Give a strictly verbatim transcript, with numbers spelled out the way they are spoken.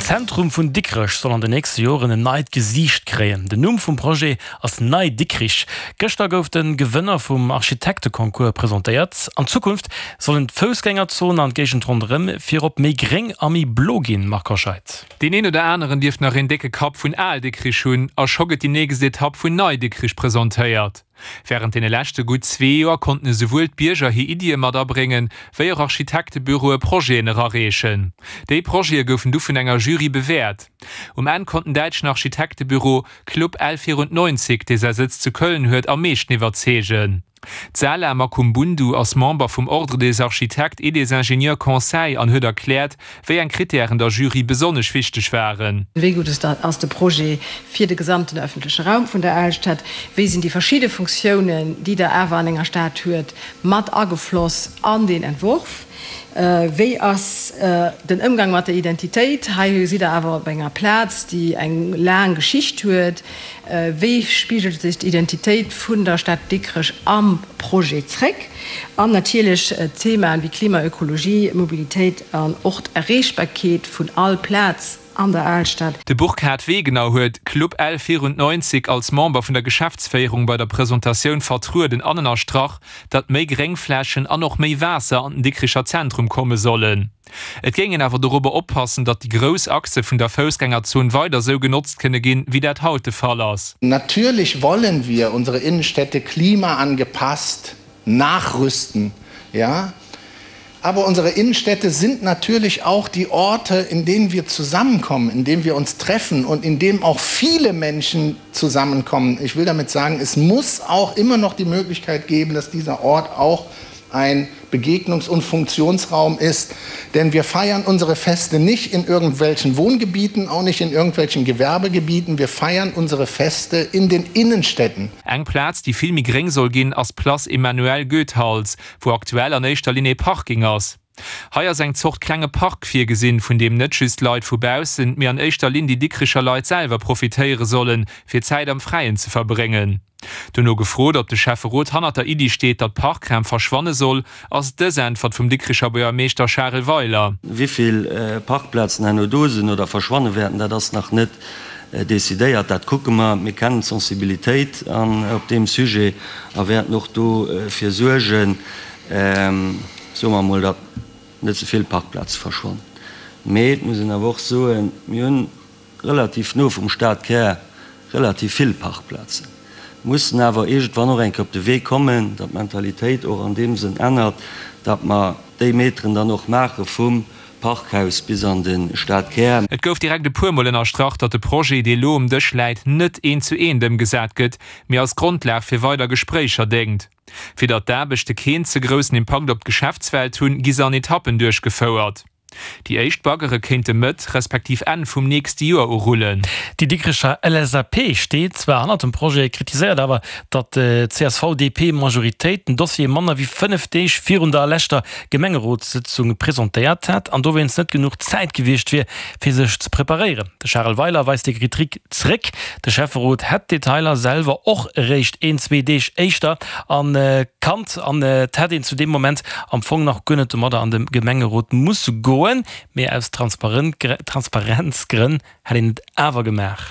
Zentrum vun Dikrech soll an den nächste Joren en neit Gesiicht kréien. Den Numm vum Projet ass Nei Dikrich. Gëschter gouf de Gewënner vum Architekteconcours presentéiert. An Zukunft sollen d'Foussgängerzon an d'Géigend ronderëm virop méi gréng a méi blo ginn, Marc Hoscheid. Deen een oder aneren dierft nach een décke Kapp vun Al Dikrich hunn, a scho gëtt déi nächst Etapp vun Nei Dikrich presentéiert. Wärend deene leschte gutt zwee Joer konnten esouwuel d'Bierger hir Iddie mat abréngen, wéi och Architektebüroe Projeten erareechen. Déi Projete goufen du vun enger Jury bewäert. Um Enn konnt den däitschen Architektebüro Club L vierundneunzig, dee säi Sëtz zu Köln huet, am meeschten iwwerzeegen. D'Sala Makumbundu ass Member vum Ordre des architectes et des ingénieurs conseils an huet erkläert, wéi eng Krittären der Jury besonnesch wichteg waren. Wéi gutt ass de Projet fir de gesamten öffentleche Raum vun der Alstad? Wéi sinn déi verschidde Funktiounen, déi Der awer an enger Stad huet, mat agefloss an deen Entworf? Wéi ass den Ëmgang mat der Identitéit? Hei sidd Der awer op enger Plaz, déi eng laang Geschicht huet. Wéi spigelt sech d'Identitéit vun der Stad Dikrech am Projet zréck? An natierlech Themaen wéi Klima, Ökologie, Mobilitéit an och d'Erreechbarkeet vun all Plaz an der Alstad. De Burkhard Wegener huet Club L vierundneunzig als Member vun der Geschäftsféierung bei der Presentatioun vertrueden an ënnerstrach, datt méi Gréngflächen an och méi Waasser an den Dikricher Zentrum komme sollen. Et géing een awer dorobber oppassen, datt déi grouss Achse vun der Foussgängerzon weider sou genotzt kënne ginn, wéi dat haut de Fall ass. Natürlich wollen wir unsere Innenstädte klimaangepasst nachrüsten, ja. Aber unsere Innenstädte sind natürlich auch die Orte, in denen wir zusammenkommen, in denen wir uns treffen und in denen auch viele Menschen zusammenkommen. Ich will damit sagen, es muss auch immer noch die Möglichkeit geben, dass dieser Ort auch ein Begegnungs- und Funktionsraum ist. Denn wir feiern unsere Feste nicht in irgendwelchen Wohngebieten, auch nicht in irgendwelchen Gewerbegebieten. Wir feiern unsere Feste in den Innenstädten. Eng Plaz, déi vill méi gréng soll ginn, ass d'Place Emmanuel Goethals, wou aktuell an éischter Linn ee Parking ass. Hei ass eng Zort klenge Park virgesinn, vun deem net just Leit vu baussen, mee an éischter Linn déi Dikricher Leit selwer profitéiere sollen, fir Zäit am Fräien ze verbréngen. Dono gefrot, ob de Schäfferot hannert der Iddi steet, datt Parkraum verschwanne soll, ass et dës Äntwert vum Dikricher Buergermeeschter Charel Weiler. Wéi vill Parkplazen herno do sinn oder verschwanne wäerten, dat ass nach net decidéiert. Dat kucke mer. Mir kennen d'Sensibilitéit op deem Sujet a wäerten och dofir suergen, soe mer emol, datt net ze vill Parkplaze verschwannen. Mee et muss een awer och soen, mir hunn relativ no vum Stadkär relativ vill Parkplazen, mussen awer iergendwann och eng Kéier op de Wee kommen, datt d'Mentalitéit och an deem Sënn ännert, datt mer déi Meteren dann och maache vum Parkhaus bis an de Stadkär. Et gouf direkt e puer Mol ënnerstrach, datt de Projet, dee lo um Dësch läit, net eent zu eent ëmgesat gëtt, mee als Grondlag fir weider Gespréicher déngt. Fir datt d'Aarbechte keen ze groussen Impakt op d'Geschäftswelt hunn, gi se an Etappen duerchgefouert. Déi éischt Baggere kéinte Mëtt respektiv Enn vum nächste Joer urullen. Déi Dikrecher L S A P steet zwar hannert dem Projet, kritiséiert awer, datt d'C S V D P-Majoritéit den Dossier manner wéi fënnef Deeg virun der leschter Gemengerotssëtzung presentéiert hätt an dowéinst net genuch Zäit gewiescht wier, fir sech ze preparéieren. De Charel Weiler weist déi Kritik zréck. De Schäfferot hätt d'Detailer selwer och eréischt een, zwee Deeg éischter kannt an et hätt een zu deem Moment am Fong nach guer net domadder an de Gemengerot musse goen, mee aus Transparenzgrënn hätt een et awer gemaach.